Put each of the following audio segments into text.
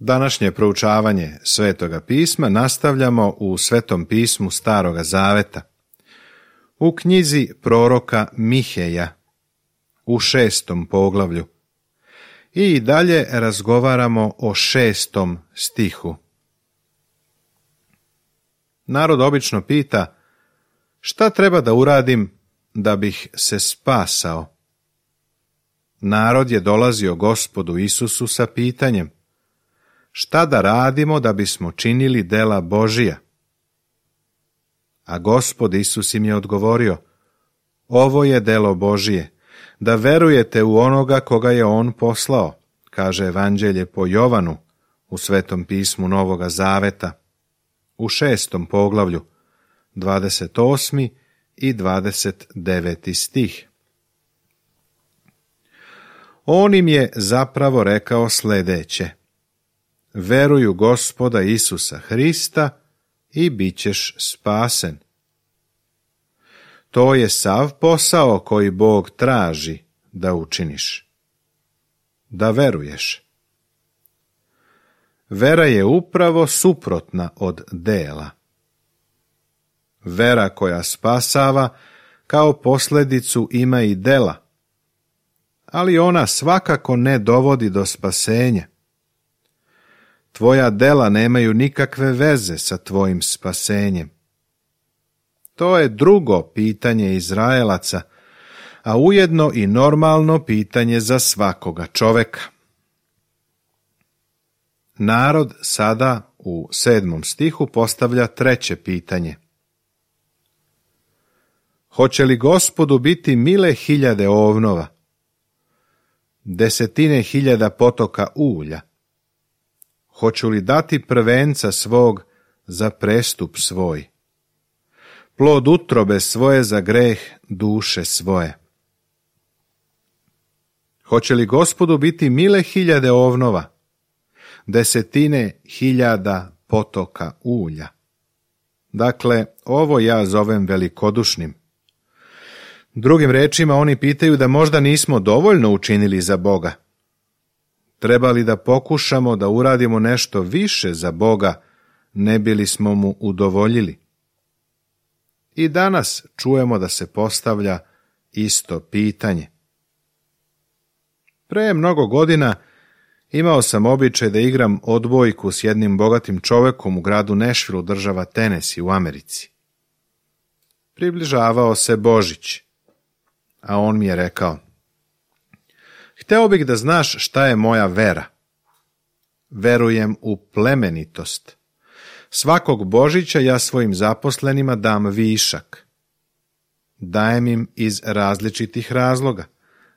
Današnje proučavanje Svetoga pisma nastavljamo u Svetom pismu Staroga zaveta, u knjizi proroka Miheja, u 6. poglavlju, i dalje razgovaramo o 6. stihu. Narod obično pita: šta treba da uradim da bih se spasao? Narod je dolazio Gospodu Isusu sa pitanjem: šta da radimo da bismo činili dela Božija? A Gospod Isus im je odgovorio: ovo je delo Božije, da verujete u onoga koga je on poslao, kaže Evanđelje po Jovanu u Svetom pismu Novoga zaveta, u 6. poglavlju, 28. i 29. stih. On im je zapravo rekao sljedeće: veruj u Gospoda Isusa Hrista i bit ćeš spasen. To je sav posao koji Bog traži da učiniš. Da veruješ. Vera je upravo suprotna od dela. Vera koja spasava kao posljedicu ima i dela, ali ona svakako ne dovodi do spasenja. Tvoja dela nemaju nikakve veze sa tvojim spasenjem. To je drugo pitanje Izraelaca, a ujedno i normalno pitanje za svakoga čoveka. Narod sada u 7. stihu postavlja treće pitanje. Hoće li Gospodu biti mile hiljade ovnova, desetine hiljada potoka ulja? Hoću li dati prvenca svog za prestup svoj, plod utrobe svoje za greh duše svoje? Hoće li Gospodu biti mile hiljade ovnova, desetine hiljada potoka ulja? Dakle, ovo ja zovem velikodušnim. Drugim rečima, oni pitaju da možda nismo dovoljno učinili za Boga. Treba li da pokušamo da uradimo nešto više za Boga, ne bili smo mu udovoljili? I danas čujemo da se postavlja isto pitanje. Pre mnogo godina imao sam običaj da igram odbojku s jednim bogatim čovekom u gradu Nashville, država Tennessee u Americi. Približavao se Božić, a on mi je rekao: hteo bih da znaš šta je moja vera. Verujem u plemenitost. Svakog Božića ja svojim zaposlenima dam višak. Dajem im iz različitih razloga.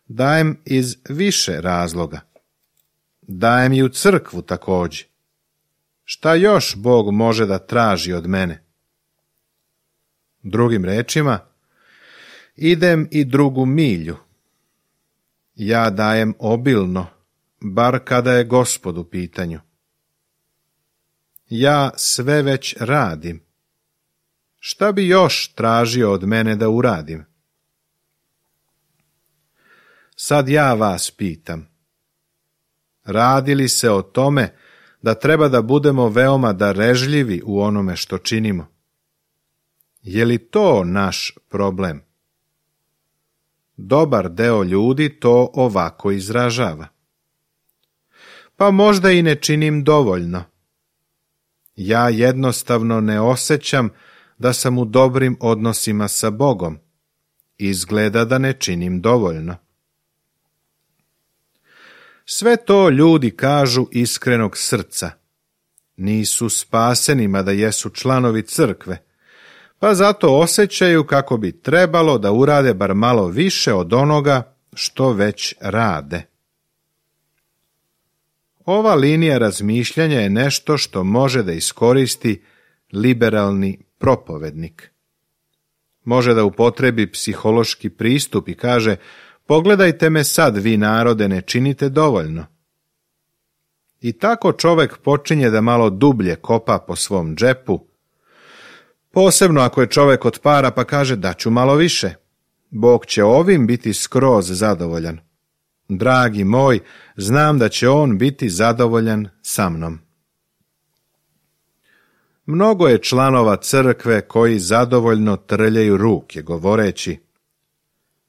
Dajem iz više razloga. Dajem i u crkvu također. Šta još Bog može da traži od mene? Drugim rečima, idem i drugu milju. Ja dajem obilno, bar kada je Gospod u pitanju. Ja sve već radim. Šta bi još tražio od mene da uradim? Sad ja vas pitam. Radi li se o tome da treba da budemo veoma darežljivi u onome što činimo? Je li to naš problem? Dobar deo ljudi to ovako izražava. Pa možda i ne činim dovoljno. Ja jednostavno ne osjećam da sam u dobrim odnosima sa Bogom. Izgleda da ne činim dovoljno. Sve to ljudi kažu iskrenog srca. Nisu spaseni, mada jesu članovi crkve, pa zato osjećaju kako bi trebalo da urade bar malo više od onoga što već rade. Ova linija razmišljanja je nešto što može da iskoristi liberalni propovednik. Može da upotrebi psihološki pristup i kaže: pogledajte me sad, vi narode, ne činite dovoljno. I tako čovek počinje da malo dublje kopa po svom džepu, posebno ako je čovek od para, pa kaže: daću malo više. Bog će ovim biti skroz zadovoljan. Dragi moj, znam da će on biti zadovoljan sa mnom. Mnogo je članova crkve koji zadovoljno trljaju ruke, govoreći: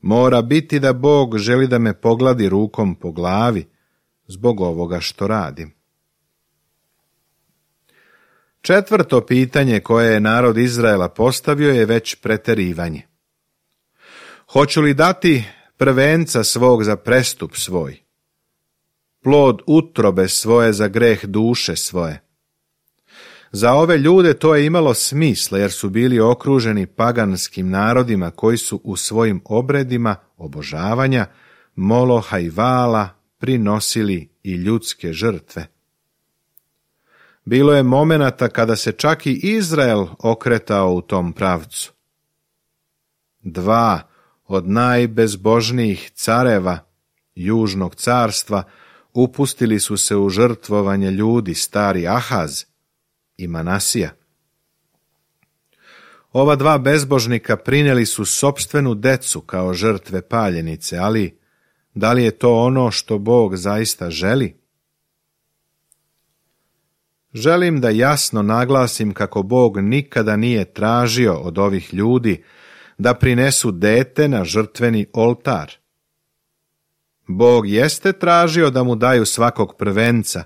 mora biti da Bog želi da me pogladi rukom po glavi zbog ovoga što radim. Četvrto pitanje koje je narod Izraela postavio je već preterivanje. Hoću li dati prvenca svog za prestup svoj, plod utrobe svoje za greh duše svoje? Za ove ljude to je imalo smisla, jer su bili okruženi paganskim narodima koji su u svojim obredima obožavanja Moloha i Vala prinosili i ljudske žrtve. Bilo je momenata kada se čak i Izrael okretao u tom pravcu. Dva od najbezbožnijih careva južnog carstva upustili su se u žrtvovanje ljudi, stari Ahaz i Manasija. Ova dva bezbožnika prinijeli su sopstvenu decu kao žrtve paljenice, ali da li je to ono što Bog zaista želi? Želim da jasno naglasim kako Bog nikada nije tražio od ovih ljudi da prinesu dete na žrtveni oltar. Bog jeste tražio da mu daju svakog prvenca,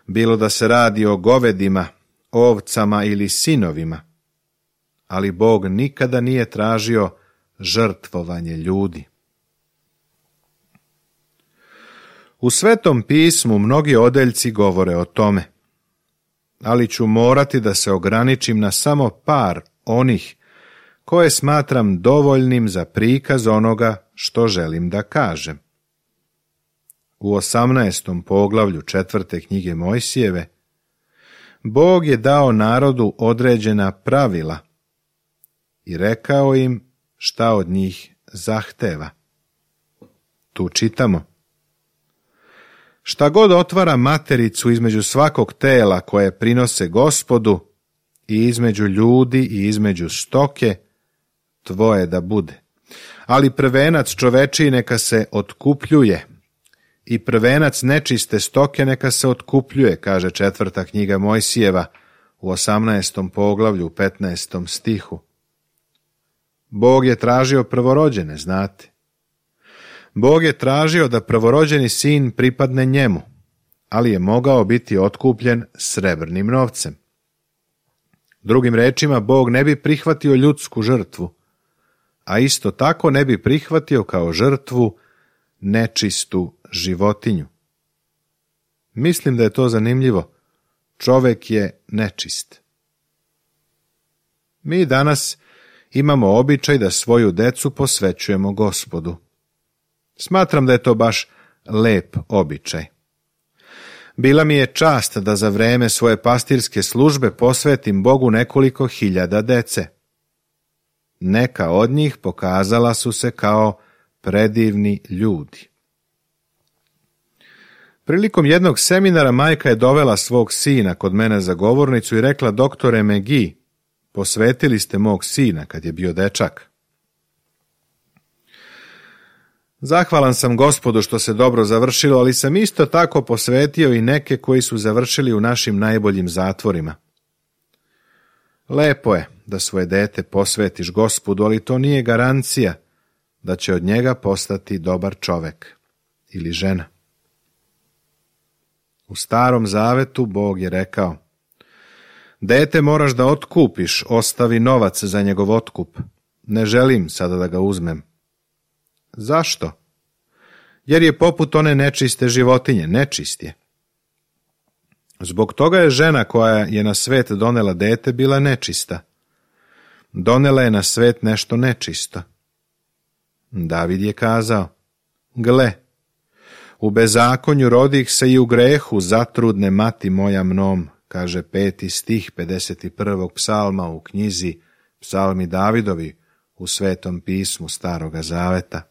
bilo da se radi o govedima, ovcama ili sinovima, ali Bog nikada nije tražio žrtvovanje ljudi. U Svetom pismu mnogi odeljci govore o tome, ali ću morati da se ograničim na samo par onih koje smatram dovoljnim za prikaz onoga što želim da kažem. U 18. poglavlju 4. knjige Mojsijeve Bog je dao narodu određena pravila i rekao im šta od njih zahteva. Tu čitamo: šta god otvara matericu između svakog tela koje prinose Gospodu i između ljudi i između stoke, tvoje da bude. Ali prvenac čovečiji neka se otkupljuje i prvenac nečiste stoke neka se otkupljuje, kaže 4. knjiga Mojsijeva u 18. poglavlju 15. stihu. Bog je tražio prvorođene, znate. Bog je tražio da prvorođeni sin pripadne njemu, ali je mogao biti otkupljen srebrnim novcem. Drugim rečima, Bog ne bi prihvatio ljudsku žrtvu, a isto tako ne bi prihvatio kao žrtvu nečistu životinju. Mislim da je to zanimljivo. Čovek je nečist. Mi danas imamo običaj da svoju decu posvećujemo Gospodu. Smatram da je to baš lep običaj. Bila mi je čast da za vreme svoje pastirske službe posvetim Bogu nekoliko hiljada dece. Neka od njih pokazala su se kao predivni ljudi. Prilikom jednog seminara majka je dovela svog sina kod mene za govornicu i rekla: doktore McGee, posvetili ste mog sina kad je bio dečak. Zahvalan sam Gospodu što se dobro završilo, ali sam isto tako posvetio i neke koji su završili u našim najboljim zatvorima. Lepo je da svoje dete posvetiš Gospodu, ali to nije garancija da će od njega postati dobar čovek ili žena. U Starom zavetu Bog je rekao: dete moraš da otkupiš, ostavi novac za njegov otkup. Ne želim sada da ga uzmem. Zašto? Jer je poput one nečiste životinje, nečist je. Zbog toga je žena koja je na svet donela dete bila nečista. Donela je na svet nešto nečisto. David je kazao: gle, u bezakonju rodih se i u grehu zatrudne mati moja mnom, kaže 5. stih 51. psalma u knjizi Psalmi Davidovi u Svetom pismu Staroga zaveta.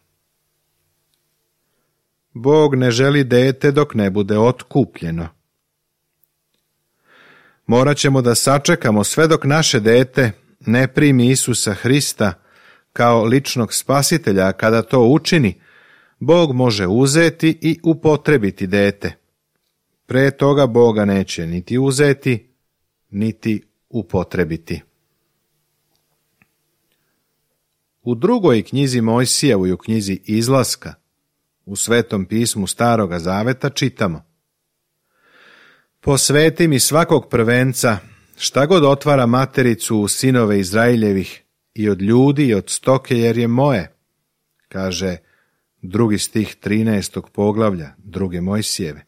Bog ne želi dete dok ne bude otkupljeno. Morat ćemo da sačekamo sve dok naše dete ne primi Isusa Hrista kao ličnog spasitelja, a kada to učini, Bog može uzeti i upotrebiti dete. Pre toga Boga neće niti uzeti, niti upotrebiti. U drugoj knjizi Mojsijevoj, u knjizi Izlaska, u Svetom pismu Staroga zaveta čitamo: Posveti mi svakog prvenca, šta god otvara matericu u sinove Izraeljevih, i od ljudi i od stoke, jer je moje, kaže 2. stih 13. poglavlja 2. Mojsijeve.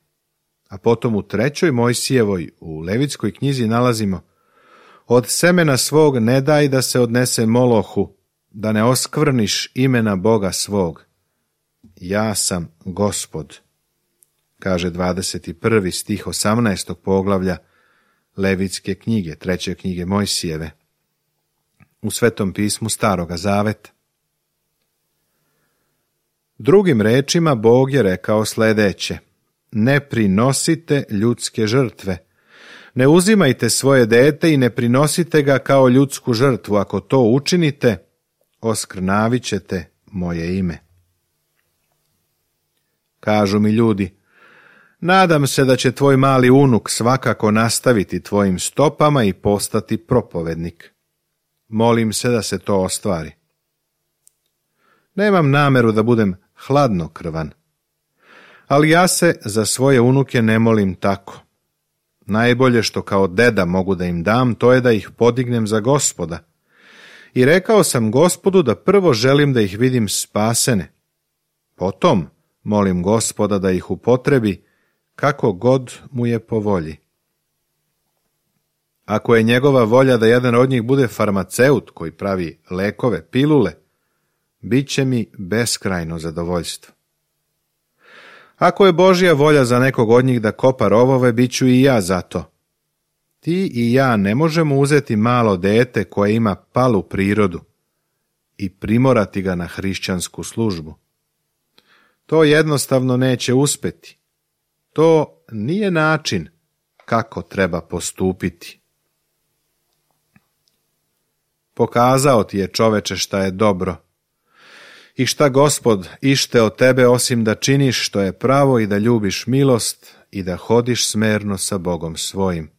A potom u 3. Mojsijevoj, u Levitskoj knjizi nalazimo: Od semena svog ne daj da se odnese Molohu, da ne oskvrniš imena Boga svog. Ja sam Gospod, kaže 21. stih 18. poglavlja Levitske knjige, 3. knjige Mojsijeve, u Svetom pismu Staroga zaveta. Drugim rečima, Bog je rekao sljedeće: ne prinosite ljudske žrtve. Ne uzimajte svoje dete i ne prinosite ga kao ljudsku žrtvu. Ako to učinite, oskrnavit ćete moje ime. Kažu mi ljudi: nadam se da će tvoj mali unuk svakako nastaviti tvojim stopama i postati propovednik. Molim se da se to ostvari. Nemam nameru da budem hladnokrvan, ali ja se za svoje unuke ne molim tako. Najbolje što kao deda mogu da im dam, to je da ih podignem za Gospoda. I rekao sam Gospodu da prvo želim da ih vidim spasene. Potom molim Gospoda da ih upotrebi kako god mu je po volji. Ako je njegova volja da jedan od njih bude farmaceut koji pravi lekove, pilule, bit će mi beskrajno zadovoljstvo. Ako je Božja volja za nekog od njih da kopa rovove, bit ću i ja za to. Ti i ja ne možemo uzeti malo dete koje ima palu prirodu i primorati ga na hrišćansku službu. To jednostavno neće uspeti. To nije način kako treba postupiti. Pokazao ti je, čoveče, šta je dobro i šta Gospod ište od tebe, osim da činiš što je pravo i da ljubiš milost i da hodiš smerno sa Bogom svojim.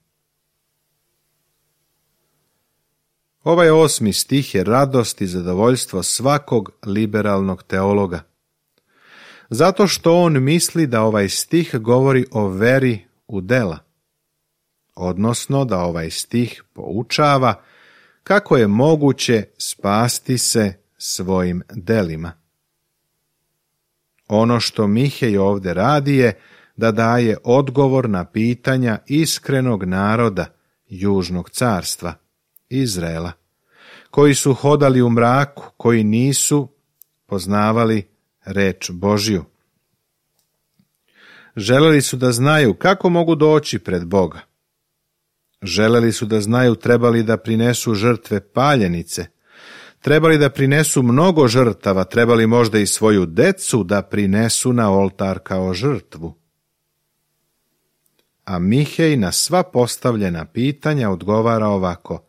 Ovaj 8. stih je radost i zadovoljstvo svakog liberalnog teologa, zato što on misli da ovaj stih govori o veri u dela, odnosno da ovaj stih poučava kako je moguće spasti se svojim delima. Ono što Mihej ovdje radi je da daje odgovor na pitanja iskrenog naroda Južnog carstva, Izraela, koji su hodali u mraku, koji nisu poznavali reč Božju. Želeli su da znaju kako mogu doći pred Boga. Želeli su da znaju trebali da prinesu žrtve paljenice, trebali da prinesu mnogo žrtava, trebali možda i svoju decu da prinesu na oltar kao žrtvu. A Mihej na sva postavljena pitanja odgovara ovako: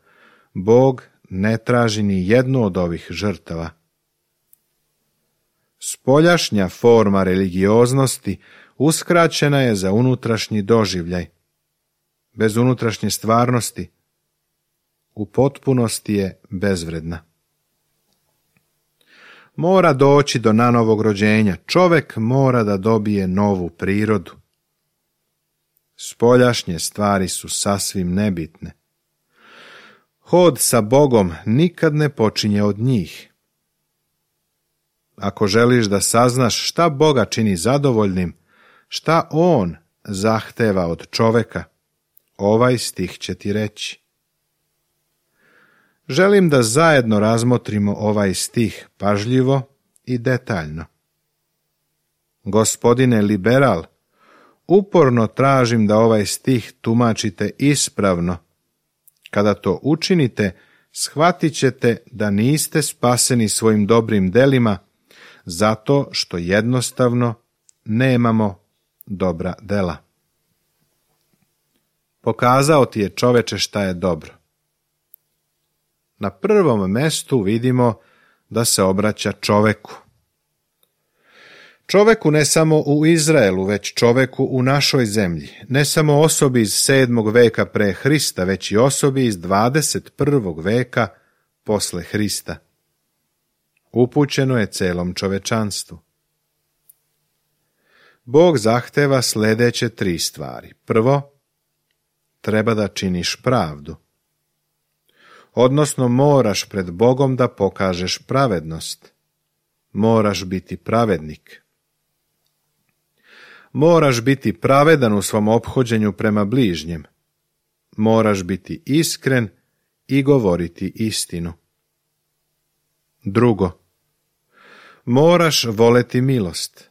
Bog ne traži ni jednu od ovih žrtava. Spoljašnja forma religioznosti uskraćena je za unutrašnji doživljaj. Bez unutrašnje stvarnosti u potpunosti je bezvredna. Mora doći do nanovog rođenja. Čovek mora da dobije novu prirodu. Spoljašnje stvari su sasvim nebitne. Hod sa Bogom nikad ne počinje od njih. Ako želiš da saznaš šta Boga čini zadovoljnim, šta On zahteva od čoveka, ovaj stih će ti reći. Želim da zajedno razmotrimo ovaj stih pažljivo i detaljno. Gospodine liberal, uporno tražim da ovaj stih tumačite ispravno. Kada to učinite, shvatit ćete da niste spaseni svojim dobrim delima, zato što jednostavno nemamo dobra dela. Pokazao ti je, čoveče, šta je dobro. Na prvom mestu vidimo da se obraća čoveku. Čoveku ne samo u Izraelu, već čoveku u našoj zemlji, ne samo osobi iz 7. veka pre Hrista, već i osobi iz 21. veka posle Hrista. Upućeno je celom čovečanstvu. Bog zahteva sljedeće 3 stvari. Prvo, treba da činiš pravdu. Odnosno, moraš pred Bogom da pokažeš pravednost. Moraš biti pravednik. Moraš biti pravedan u svom ophođenju prema bližnjem. Moraš biti iskren i govoriti istinu. Drugo, moraš voleti milost.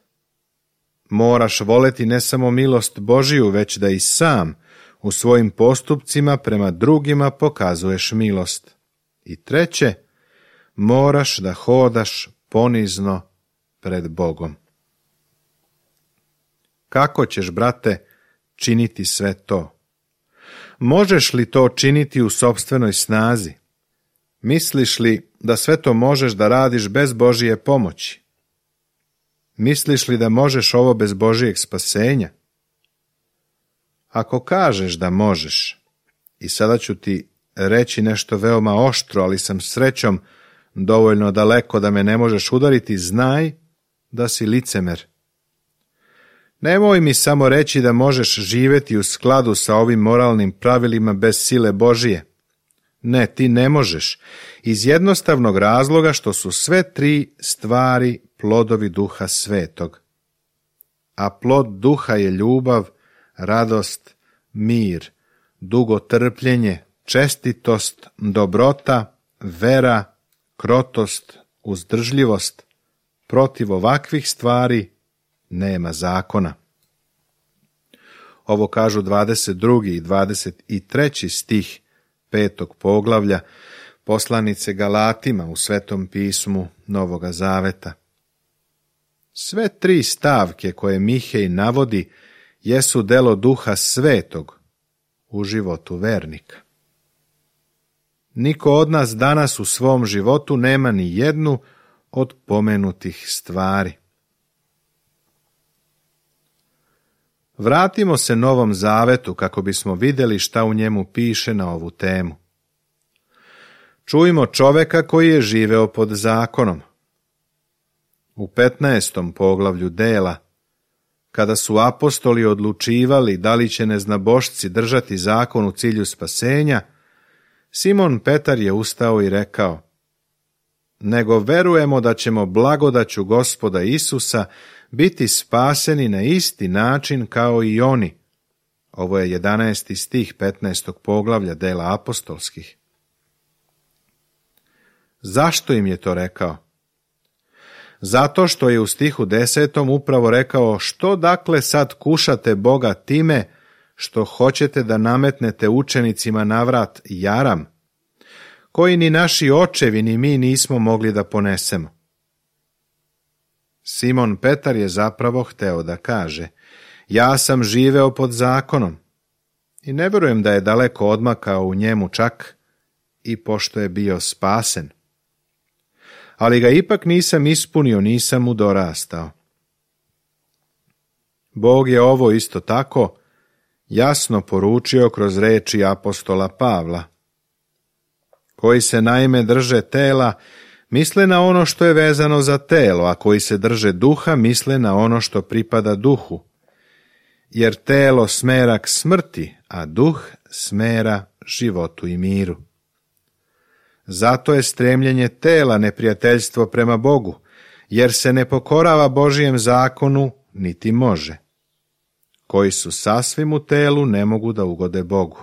Moraš voleti ne samo milost Božiju, već da i sam u svojim postupcima prema drugima pokazuješ milost. I treće, moraš da hodaš ponizno pred Bogom. Kako ćeš, brate, činiti sve to? Možeš li to činiti u sopstvenoj snazi? Misliš li da sve to možeš da radiš bez Božije pomoći? Misliš li da možeš ovo bez Božijeg spasenja? Ako kažeš da možeš, i sada ću ti reći nešto veoma oštro, ali sam srećom dovoljno daleko da me ne možeš udariti, znaj da si licemer. Nemoj mi samo reći da možeš živjeti u skladu sa ovim moralnim pravilima bez sile Božije. Ne, ti ne možeš, iz jednostavnog razloga što su sve 3 stvari plodovi Duha Svetog. A plod Duha je ljubav, radost, mir, dugotrpljenje, čestitost, dobrota, vera, krotost, uzdržljivost. Protiv ovakvih stvari nema zakona. Ovo kažu 22. i 23. stih 5. poglavlja poslanice Galatima u Svetom pismu Novoga Zaveta. Sve 3 stavke koje Mihej navodi jesu delo Duha Svetog u životu vernika. Niko od nas danas u svom životu nema ni jednu od pomenutih stvari. Vratimo se Novom Zavetu kako bismo vidjeli šta u njemu piše na ovu temu. Čujmo čoveka koji je živeo pod zakonom. U 15. poglavlju Dela, kada su apostoli odlučivali da li će neznabošci držati zakon u cilju spasenja, Simon Petar je ustao i rekao: nego verujemo da ćemo blagodaću Gospoda Isusa biti spaseni na isti način kao i oni. Ovo je 11. stih 15. poglavlja Dela apostolskih. Zašto im je to rekao? Zato što je u stihu 10. upravo rekao: što dakle sad kušate Boga time što hoćete da nametnete učenicima navrat jaram, koji ni naši očevi ni mi nismo mogli da ponesemo. Simon Petar je zapravo hteo da kaže: ja sam živeo pod zakonom i ne vjerujem da je daleko odmakao u njemu čak i pošto je bio spasen. Ali ga ipak nisam ispunio, nisam mu dorastao. Bog je ovo isto tako jasno poručio kroz reči apostola Pavla, koji se naime drže tela, misle na ono što je vezano za telo, a koji se drže duha, misle na ono što pripada duhu. Jer telo smera k smrti, a duh smera životu i miru. Zato je stremljenje tela neprijateljstvo prema Bogu, jer se ne pokorava Božijem zakonu, niti može. Koji su sasvim u telu, ne mogu da ugode Bogu.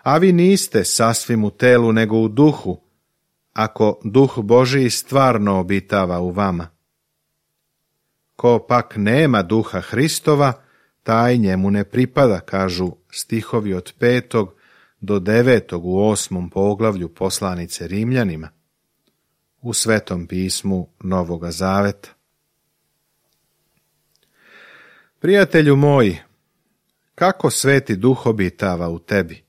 A vi niste sasvim u telu, nego u duhu, ako duh Božiji stvarno obitava u vama. Ko pak nema duha Hristova, taj njemu ne pripada, kažu stihovi od 5. do 9. u 8. poglavlju poslanice Rimljanima u Svetom pismu Novoga Zaveta. Prijatelju moj, kako Sveti Duh obitava u tebi?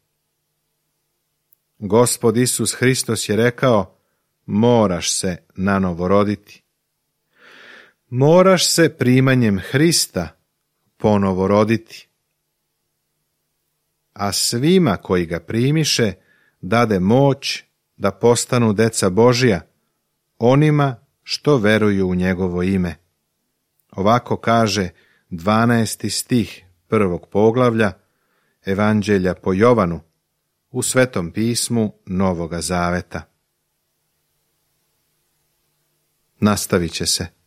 Gospod Isus Hristos je rekao: moraš se nanovo roditi. moraš se primanjem Hrista ponovo roditi. A svima koji ga primiše dade moć da postanu deca Božja, onima što veruju u njegovo ime. Ovako kaže 12. stih 1. poglavlja Evanđelja po Jovanu u Svetom pismu Novoga Zaveta. Nastavit će se.